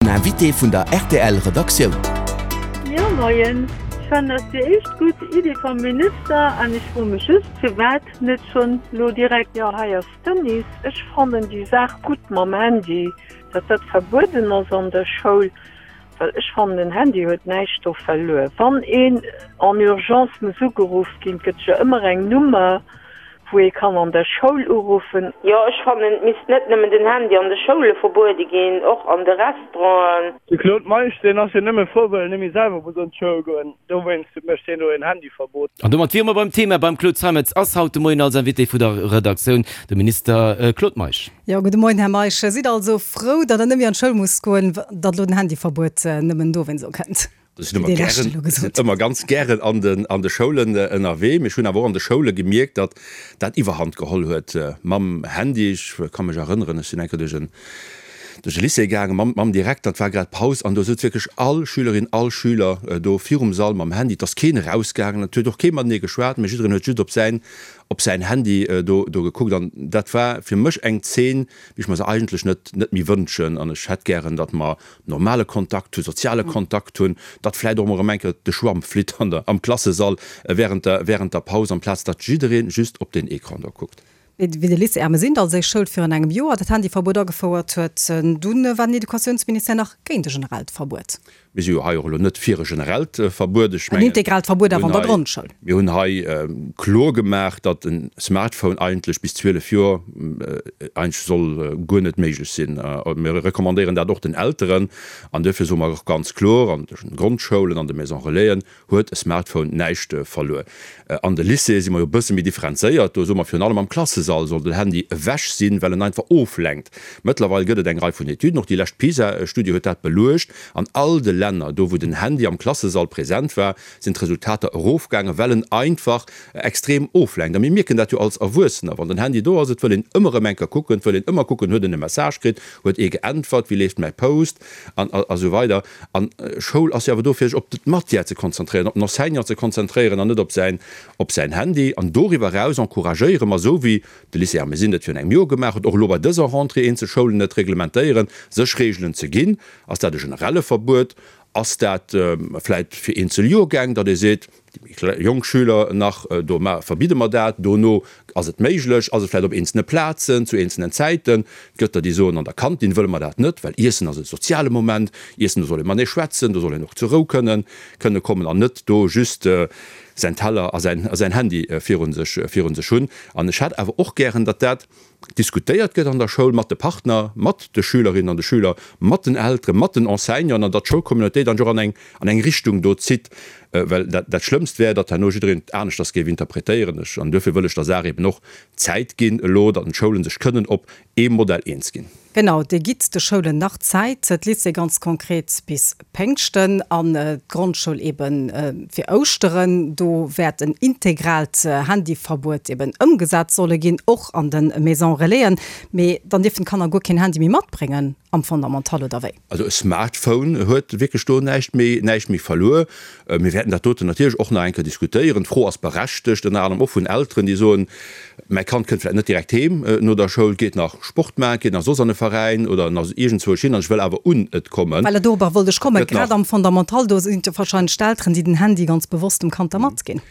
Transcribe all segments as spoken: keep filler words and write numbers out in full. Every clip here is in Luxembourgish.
Den Invité vun der rtl Redaktioun. Jo moien, ech fannen dat déi éischt gutt Iddi vum Minister an ech froe mech just firwat net schonn lo direkt. Jo hei ass d'Denise, ech fannen déi Saach gutt mam Handy, datt dat verbueden ass an der Schoul, well ech fannen den Handy huet näischt do verluer. Wann een en urgence muss ugeruff ginn, gëtt jo ëmmer eng Nummer wou ee kann an der Schoul uruffen. Jo, ech fannen et misst net nëmmen den Handy an de Schoule verbuede ginn, och an de Restauranten. De Claude Meisch, deen ass jo nëmme frou, well en net méi selwer muss an d'Schoul goen. Dowéinst mécht hien elo en Handyverbot. An domat wiere mer beim Thema. Beim Claude Zeimetz ass haut de Moien als Invité vu der Redaktioun de Minister Claude Meisch. Jo, gudde Moien, Här Meisch. Sidd also frou, datt Der net méi an d'Schoul musst goen, datt elo den Handyverbuet nëmmen dowéinst ukënnt? Ech sinn ëmmer gären, sinn ëmmer ganz gären an den, an de Schoulen ënnerwee. Mee ech hunn awer och an de Schoule gemierkt, datt dat Iwwerhand geholl huet mam Handy. Ech ka mech erënneren, ech sinn eng Kéier duerch en, duerch e Lycée gaangen mam, mam Direkter, et war grad Paus an do souz wierklech all Schülerin, all Schüler do virum Sall mam Handy. Et ass keen erausgaangen, et huet och kee matenee geschwat, mee jiddereen huet just op säin, op säin Handy do, do gekuckt. An dat war fir mech eng Zeen, wéi ech mer se eigentlech net, net méi wënschen. An ech hätt gären, datt mer normale Kontakt hunn, soziale Kontakt hunn, datt vläicht och emol erëm eng Kéier de Schwamm flitt an der, am Klassesall während der, während der Paus, amplaz datt jidderee just op deen Ecran do kuckt. Wéi de Lycée Ermesinde, also éis Schoul, virun engem Joer dat Handyverbuet agefouert huet, dunn war den Educatiounsministère nach géint e generellt Verbuet. Mir si jo hei och elo net fir e generellt Verbuet. Ech En mengen, integraalt Verbuet mir awer hunn an der hei, Grondschoul. mir hunn hei kloer gemaach, datt e Smartphone eigentlech bis zwielef Joer eigentlech soll guer net méiglech sinn. Mir recommandéieren dat och den Elteren. An duerfir soe mer och ganz kloer, an de Grondschoulen, an de Maisons Relaisen huet e Smartphone näischt verluer. An de Lycéeë si mer jo e bësse méi differenzéiert. Do soe mer, virun allem am Klassesall soll den Handy ewech sinn, well en einfach oflenkt. Mëttlerweil gëtt et eng Rei vun Etüden, och déi lescht PISA-Studie huet dat beluecht, an all de Länner, do wou den Handy am Klassesall present war, sinn d'Resultater erofgaangen, well en einfach extrem oflenkt. A mir mierken dat jo als Erwuessener, wann den Handy do ass, et wëll een ëmmer erëm eng Kéier kucken, et wëll een ëmmer kucken, huet en e Message kritt, huet ee geäntwert, wéi leeft mäi Post an a sou weider. An Schoul ass jo awer do fir sech op d'Matière ze konzentréieren, op den Enseignant ze konzentréieren an net op säin op säin Handy. An doriwwer eraus encouragéiere mer, esou wéi de Lycée Ermesinde et virun engem Joer gemaach huet, och elo bei dëser Rentrée eenzel Schoulen et reglementéieren, sech Reegelen ze ginn. Ass dat e generelle Verbuet? Ass dat vläit fir eenzel Joergäng, datt ee seet, déi méi jonk Schüler nach, do verbidde mer dat, dono ass et méiglech? Ass et vläit op eenzelne Plazen, zu eenzelnen Zäiten? Et gëtt der, déi soen, an der Kantin wëlle mer dat net, well Iessen ass e soziale Moment, Iessen, do soll ee matenee schwätzen, do soll een och zur Rou kënnen kënne kommen an net do just säin Teller a säin a säin Handy virun sech virun sech hunn. An ech hätt awer och gären, datt dat diskutéiert gëtt an der Schoul mat de Partner, mat de Schülerinnen an de Schüler, mat den Elteren, mat den Enseignanten an datt d'Schoulcommunautéit dann och an eng an eng Richtung do zitt, well dat dat Schlëmmst wär, datt herno jiddereen et aneschters géif interpretéieren. Ech, an duerfir wëll ech der Saach eben och Zäit ginn elo, datt d'Schoulen sech kënnen op ee Modell eens ginn. Genau, Dir gitt de Schoulen nach Zäit, d'Lycée ganz konkret bis Péngschten an d'Grondschoul ebe fir Ouschteren. Do wäert en integraalt Handyverbuet eben ëmgesat solle ginn, och an de Maisons Relaisen. Mee dann dierfen d'Kanner guer keen Handy méi matbréngen am Fondamental, oder wéi? Also e Smartphone huet wierklech do näischt méi, näischt méi verluer. Mir wäerten dat doten natierlech och nach eng Kéier diskutéieren. D'Fro ass berechtegt, ënner anerem och vun Elteren, déi soen, Mäi Kand kënnt vläicht net direkt heem no der Schoul, geet nach Sport maachen, geet nach soss an e Veräin oder nach iergendzwousch hin an ech wëll awer un et kommen. Voilà, dorobber wollt ech kommen. Gëtt nach. Grad am Fondamental, do sinn et jo wahrscheinlech d'Elteren, déi den Handy ganz bewosst dem Kand da matginn.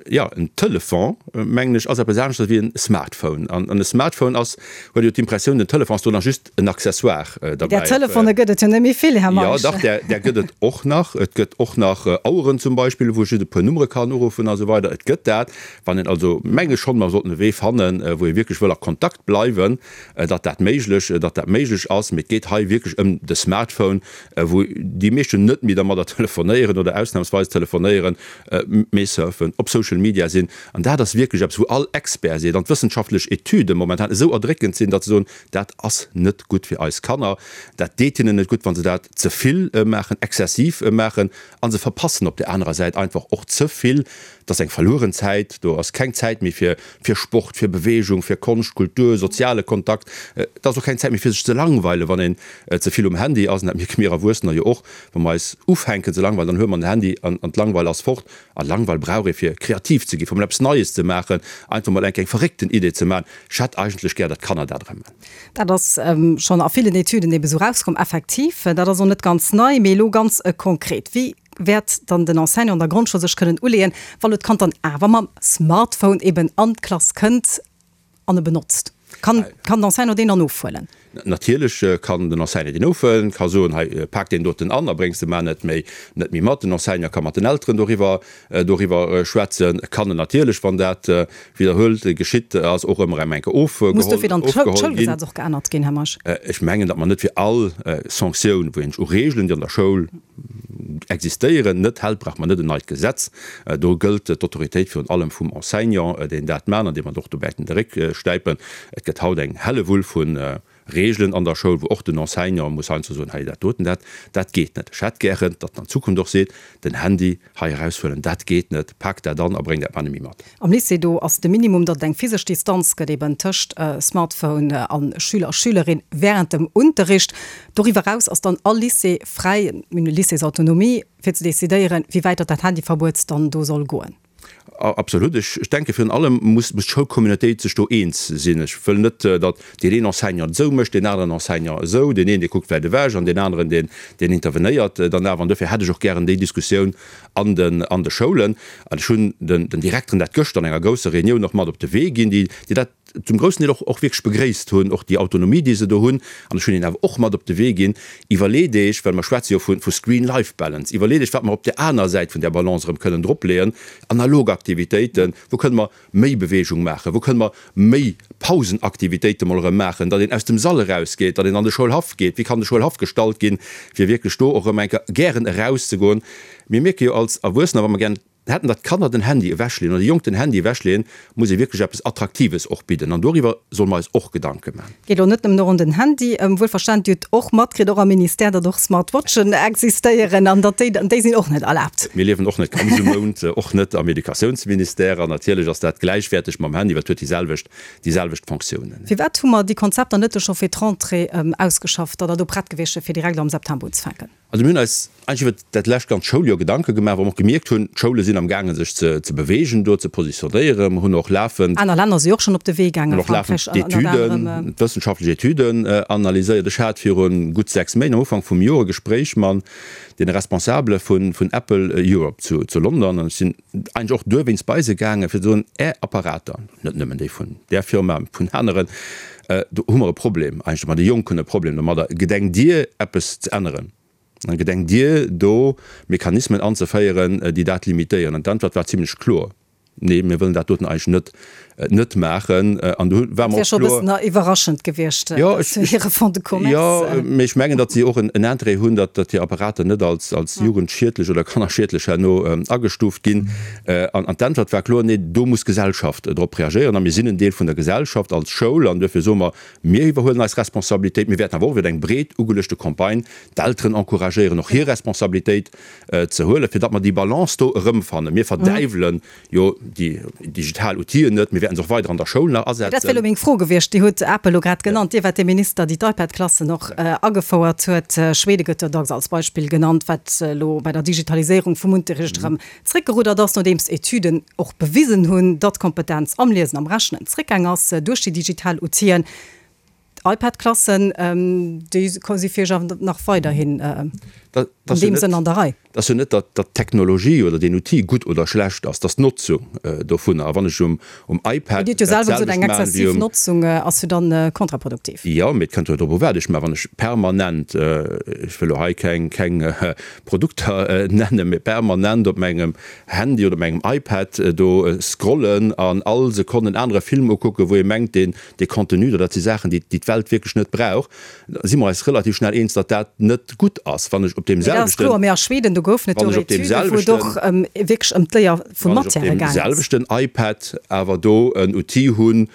Jo, en Telefon, mengen ech, ass eppes aneschters wéi en Smartphone. An e Smartphone ass, huet jo d'Impressioun, den Telefon ass do nach just en Accessoire Där derbäi. Telefone gëtt et jo net méi vill, Här Jo, Meisch. dach, där, där gëtt et och nach. Et gëtt och nach Aueren zum Beispill, wou ech just e puer Nummere kann uruffen a sou weider. Et gëtt dat. Wann een also, meng ech schonn, mer sollten e Wee fannen, wou ee wierklech wëll a Kontakt bleiwen, datt dat méiglech, datt dat méiglech ass. Mee et geet hei wierklech ëm de Smartphone, wou déi meeschten net méi dermadder telefonéieren oder ausnahmsweis telefonéieren, mee surfen, op Social Media sinn. An dat ass wierklech eppes, wou all Expert seet an d'wëssenschaftlech Etüde momentan esou erdréckend sinn, datt se soen, dat ass net gutt fir eis Kanner, dat deet hinnen net gutt, wa se dat ze vill maachen, exzessiv maachen, a se verpassen op där anerer Säit einfach och ze vill. Et ass eng verlueren Zäit, do ass keng Zäit méi fir fir Sport, fir Beweegung, fir Konscht, Kultur, soziale Kontakt. Et ass och keng Zäit méi fir sech ze langweilen, wann een ze vill um Handy ass. An dat mierke mir Erwuessener jo och, wa mer eis ufänken ze langweilen, dann huele mer den Handy an d'Langweil ass fort. A Langweil brauch ee fir kreativ ze ginn, fir mol eppes Neies ze maachen, einfach mol eng eng verréckten Idee ze maachen. Ech hätt eigentlech gär, datt d'Kanner dat erëm maachen. Dat ass schonn a villen Etüden Etüden ebe sou rauskomm. Effektiv, dat ass och net ganz nei. Mee elo ganz konkret, Wéi wäert dann den Enseignant an der Grondschoul sech kënnen uleeën, wa lo d'Kand dann awer mam Smartphone eben an d'Klass kënnt an e benotzt? Kann, kann den Enseignant deen dann ofhuelen? Natierlech kann den Enseignant deen ofhuelen, ka soen, hei, pak deen doten an a bréngs de mar net méi, net méi mat. Den Enseignant ka mat den Elteren doriwwer, doriwwer schwätzen. E kann en natierlech, wann dat widderhuelt geschitt ass, och ëmmer erëm eng Kéier ofgeholl, Muss dofir dann ofgeholl ginn. d'Schoulgesetz och geännert ginn, Här Meisch? Ech mengen, datt mer net fir all Sanktioun, wou een sech u Regeln, déi an der Schoul existéieren, net hält, brauche mer net en neit Gesetz. Do gëllt d'Autoritéit virun allem vum Enseignant, deen dat maan an deem mer och do wäerten de Réck stäipen. Et gëtt haut eng Hellewull vu Regeln an der Schoul, wou och den Enseignant muss heiansdo soen, hei dat doten, dat, dat geet net. Ech hätt gären, datt en an Zukunft och seet, den Handy hei eraushuelen, dat geet net, pak dat an a bréng dat mar net méi mat. Am Lycée, do ass de Minimum, datt et eng physesch Distanz gëtt eben tëscht Smartphone a Schüler a Schülerin wärend dem Unterricht. Doriwwer eraus ass dann all Lycée fräi, mir hunn e Lycéesautonomie, fir ze decidéieren, wéi wäit datt dat Handyverbuet dann do soll goen. Absolut. Ech denke virun allem muss d'Schoulcommunautéit sech do eens sinn. Ech wëll net, datt deen een Enseignant et esou mécht, deen aneren Enseignant esou, deen een, dee kuckt wäit ewech an deen aneren, deen, deen intervenéiert dann awer. An dofir hätt ech och gären déi Diskussioun an den, an de Schoulen. An ech hunn den, den Direkteren dat gëschter an enger grousser Reunioun och mat op de Wee ginn, déi, déi dat zum groussen Deel och, och wierklech begréisst hunn, och déi Autonomie, déi se do hunn. An ech hunn hinnen awer och mat op de Wee ginn, Iwwerleet Iech, well mer schwätze jo vu, vu Screen-Life-Balance, iwwerleet Iech, wat mer op där aner Säit vun där Balance erëm kënnen dropleeën, analog Aktivitéiten, wou kënne mer méi Beweegung maachen, wou kënne mer méi Pausenaktivitéite mol erëm maachen, datt een aus dem Sall erausgeet, datt een an de Schoulhaff geet, wéi kann de Schoulhaff gestalt ginn, fir wierklech do och erëm eng Kéier gären erauszegoen. Mir mierke jo als Erwuessener, wa mer gären hätten, datt d'Kanner den Handy ewechleeën oder déi Jonk den Handy ewechleeën, muss ee wierklech eppes Attraktives och bidden. An doriwwer solle mer eis och Gedanke man. Geet elo net nëmmen och ëm den Handy. Wuelverstanen, Dir hutt och matkritt, och am Ministère, datt och Smartwatchen existéieren an datt déi, déi sinn och net erlaabt. Mir liewen och net ganz um Mound, och net am Educatiounsministère. An natierlech ass dat gläichwäerteg mam Handy, well et huet déi selwecht, déi selwecht Fonctiounen. Firwat hu mer déi Konzepter net scho fir d'Rentrée ausgeschafft, datt der do prett gewiescht wier, fir direkt am September unzefänken? Also mir hunn eis eigentlech iwwert dat lescht ganz Schouljoer Gedanke gemaach, wou mer och gemierkt hunn, d'Schoule sinn am gaangen sech ze ze beweegen, do ze positionéieren. Mer hunn och lafend. Aner Länner si och schonn op de Wee gaangen, Hunn och lafend Frankräich ënnert d'Etüden, anerem. d'wëssenschaftlech Etüden analyséiert. Ech hat viru gutt sechs Méint, am Ufank vum Joer, e Gespréich man deene Responsabele vun vun Apple Europe zu zu London an ech sinn eigentlech och duerwéinst bei se gaangen, fir ze soen, Är Apparater, net nëmmen déi vun där Firma, vun aneren, do hu mer e Problem eigentlech, ma déi Jonk hunn e Problem domadder. Gedenkt Dir eppes ze änneren? Gedenkt Dir do Mechanismen anzeféieren, déi dat limitéieren? An d'Äntwert war zimlech kloer, Nee, mir wëllen dat doten eigentlech net, net maachen. An do war mer Dat och wär scho e kloer. bëssen iwwerraschend gewiescht, Jo, dass ech, hire Fonds de commerce. jo, mee ech mengen, datt si och en Interêt hunn, datt, datt hir Apparater net als, als jugendschiedlech oder kannerschiedlech herno agestuuft ginn. An, an d'Äntwert war kloer, Nee, do muss d'Gesellschaft drop reagéieren. A mir sinn en Deel vun der Gesellschaft als Schoul an duerfir soe mer, Mir iwwerhuelen eis Responsabilitéit. Mir wäerten awer och iwwer eng breet ugeluechte Campagne d'Elteren encouragéieren, och hir Responsabilitéit ze huelen, fir datt mer déi Balance do erëmfannen. Mir verdäiwele jo déi digital Outiller net. Mir wäerten se och weider an der Schoul nach Dat wär asetzen. elo meng Fro gewiescht. Dir hutt Apple elo grad genannt. Dir waart dee Minister, déi d'IPad-Klassen och agefouert huet. Schwede gëtt jo dacks als Beispill genannt, wat elo bei der Digitaliséierung vum Unterricht erëm zréckgeruddert ass, nodeems Etüden och bewisen hunn, datt d'Kompetenz am Liesen, am Rechnen zréckgaang ass duerch déi digital Outill'en. D'IPad-Klassen, déi si fir Iech awer nach weiderhin an deem Sënn an der Rei? Et ass jo net, datt d'Technologie oder deen Outil gutt oder schlecht ass, et ass d'Notzung dovunner. A wann ech um iPad Dir hutt jo dat selwer gesot, selwecht eng maachen wéi exzessiv um. Notzung ass jo dann kontraproduktiv. Jo, mee et kënnt jo drop u wat ech maachen. Wann ech permanent, ech wëll elo hei keng Produkter nennen, mee permanent op mengem Handy oder op mengem iPad do scrollen an all Sekonn en anere Film ukucken, wou ee mengt, deen dee Contenu do, dat si Saachen, déi déi d'Welt wierklech net brauch, da si mer eis relativ schnell eens, datt dat net gutt ass. Wann ech op deem Mee dat ass selwechten, kloer. Mee a Schweden, do goufen et jo wann ech och op deem Etüden, wou et selwechten, och wierklech ëm d'Léier vu wann ech op Matièrë deem gaang ass. selwechten iPad awer do en Outil hunn,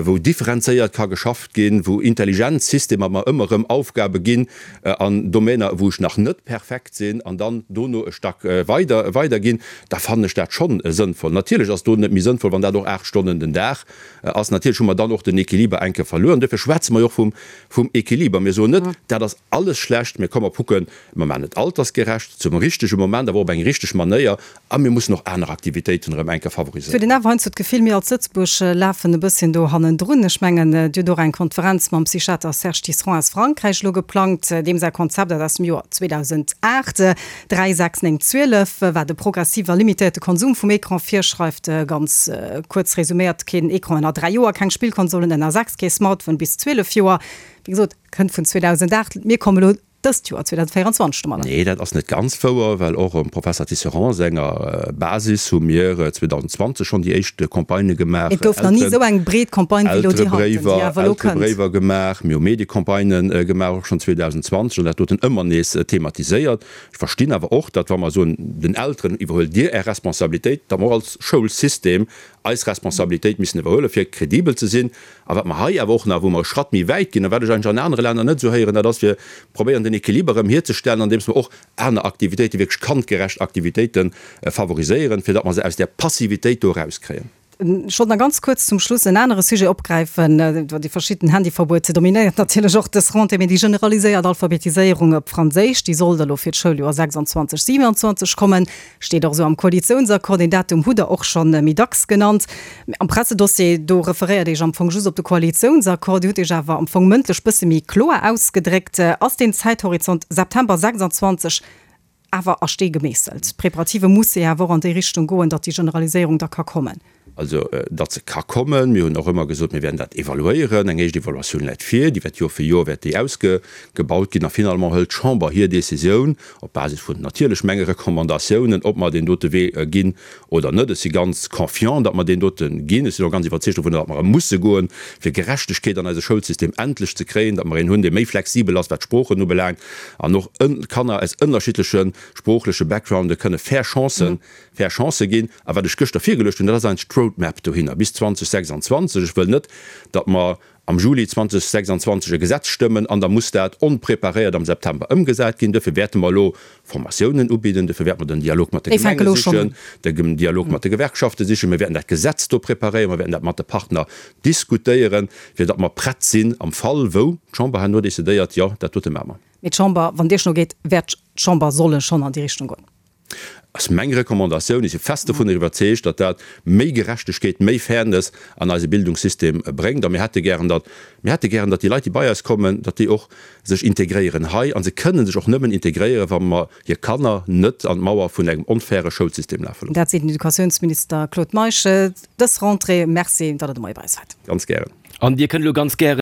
wou differenzéiert ka geschafft ginn, wou intelligent Systemer mer ëmmer erëm Aufgabe ginn an Domainer, wou ech nach net perfekt sinn, an dann dono e Stack weider weiderginn, da fannen ech dat schonn sënnvoll. Natierlech ass do net méi sënnvoll, wann dat och aacht Stonnen den Dag ass. Natierlech hu mer dann och den Equiliber enke verluer. An duerfir schwätze mer jo och vum, vum Equiliber. Mir soen net, dat ass alles schlecht, mir komme kucken, mer maachen et altersgerecht, zum richtege Moment, awer och op eng richteg Manéier, a mir mussen och aner Aktivitéiten erëm enke Ech huet favoriséieren. een awer heiansdo d'Gefill, mir als Lëtzebuerg lafen e bësschen do hannendrun. Ech mengen, Dir hutt och eng Konferenz mam Psychiater Serge Tisseron aus Frankräich elo geplangt, deem säi Konzept, dat aus dem Joer zweedausendacht, dräi, sechs, néng, zwielef, wat e progressive a limitéierte Konsum vum Ecran virschreift, ganz kuerz resuméiert, keen Ecran ënner dräi Joer, keng Spillkonsolen ënner sechs, kee Smartphone bis zwielef Joer. Wéi gesot, kënnt vun zweedausendacht. Mir komme elo dëst Joer, zweedausendvéierundzwanzeg, domadder. Nee, dat ass net ganz wouer, well och um Professer Tisserand senger Basis hu mir zweedausendzwanzeg schonn déi éischt Campagnë gemaach, Et gouf nach ni esou eng breet Campagne wéi elo déi heiten, déi awer elo kënnt. Elterebréiwer gemaach, mir hu Mediecampagnë gemaach, och schonn zweedausendzwanzeg, an dat doten ëmmer nees thematiséiert. Ech verstinn awer och, datt wa mer soen den Elteren, iwwerhuelt Dir Är Responsabilitéit, datt mer och als Schoulsystem eis Responsabilitéit missen iwwerhuelen, fir kredibel ze sinn. A wat mer hei awer och nach, wou mer e Schratt méi wäit ginn a wat ech eigentlech an anere Länner net esou héieren, dat ass fir probéieren den Equiliber erëm hierzestellen, andeems mer och aner Aktivitéiten, wierklech kandgerecht Aktivitéiten favoriséieren, fir datt mer se aus där Passivitéit do erauskréien. Ech wollt nach ganz kuerz zum Schluss en anere Sujet opgräifen. Déi verschidden Handyverbuete dominéiert natierlech och dës Rentrée, mee déi generaliséiert Alphabetiséierung op Franséisch, déi soll da lo fir d'Schouljoer sechsundzwanzeg, siewenundzwanzeg kommen. Steet och esou am Koalitiounsaccord. Deen Datum hutt Der och scho méi dacks genannt. Mee am Pressedossier, do referéiert Dir Iech am Fong just op de Koalitiounsaccord. Dir hutt Iech awer am Fong mëndlech bësse méi kloer ausgedréckt. Ass deen Zäithorizont September sechsundzwanzeg awer a Stee gemeesselt? D'Preparative musse jo awer och an déi Richtung goen, datt déi Generaliséierung da ka kommen. Also, datt se ka kommen. Mir hunn och ëmmer gesot, mir wäerten dat evaluéieren. Eng éischt Evaluatioun läit vir, déi wäert Joer fir Joer wäert déi ausgebaut ginn. A finalement hëlt d'Chamber hir Décisioun op Basis vun natierlech menge Recommandatiounen, ob mer deen dote Wee ginn oder net. Ech si ganz confiant, datt mer deen dote ginn. Ech sinn och ganz iwwerzeegt dovun, datt mer e musse goen, fir Gerechtegkeet an eise Schoulsystem endlech ze kréien, datt mer een hunn, dee méi flexibel ass, wat d'Sproochen ubelaangt, an och Kanner aus ënnerschiddleche sproochleche Backgrounde kënne fair Chancen, fair Chancë ginn. A wat ech gëschter virgeluecht hunn, dat ass eigentlech d'Roadmap dohinner bis zweedausendsechsundzwanzeg. Ech wëll net, datt mer am Juli zweedausendsechsundzwanzeg e Gesetz stëmmen an da muss dat onpreparéiert am September ëmgesat ginn. Duerfir wäerte mer elo Formatiounen ubidden, duerfir wäerte mer den Dialog mat de Gemenge sichen, den Dialog mat de Gewerkschafte sichen. Mir wäerten dat Gesetz do preparéieren, mer wäerten dat mat de Partner diskutéieren, fir datt mer prett sinn am Fall wou d'Chamber herno decidéiert, jo, dat dote maache mer. Mee d'Chamber, wann et Iech no geet, wäert d'Chamber solle schonn an déi Richtung goen. Ass meng Recommandatioun. Ech si fest dovunner iwwerzeegt, datt dat méi Gerechtegkeet, méi Fairness an eise Bildungssystem bréngt. A mir hätte gären, datt, mir hätte gären, datt déi Leit, déi bei eis kommen, datt déi och sech integréieren hei. A se kënnen sech och nëmmen integréieren, wa mer hir Kanner net an d'Mauer vun engem onfaire Schoulsystem lafe loossen. Dat seet den Educatiounsminister Claude Meisch dës Rentrée. Merci, datt Der de Moie bei eis waart. Ganz gären. An Dir kënnt elo ganz gären.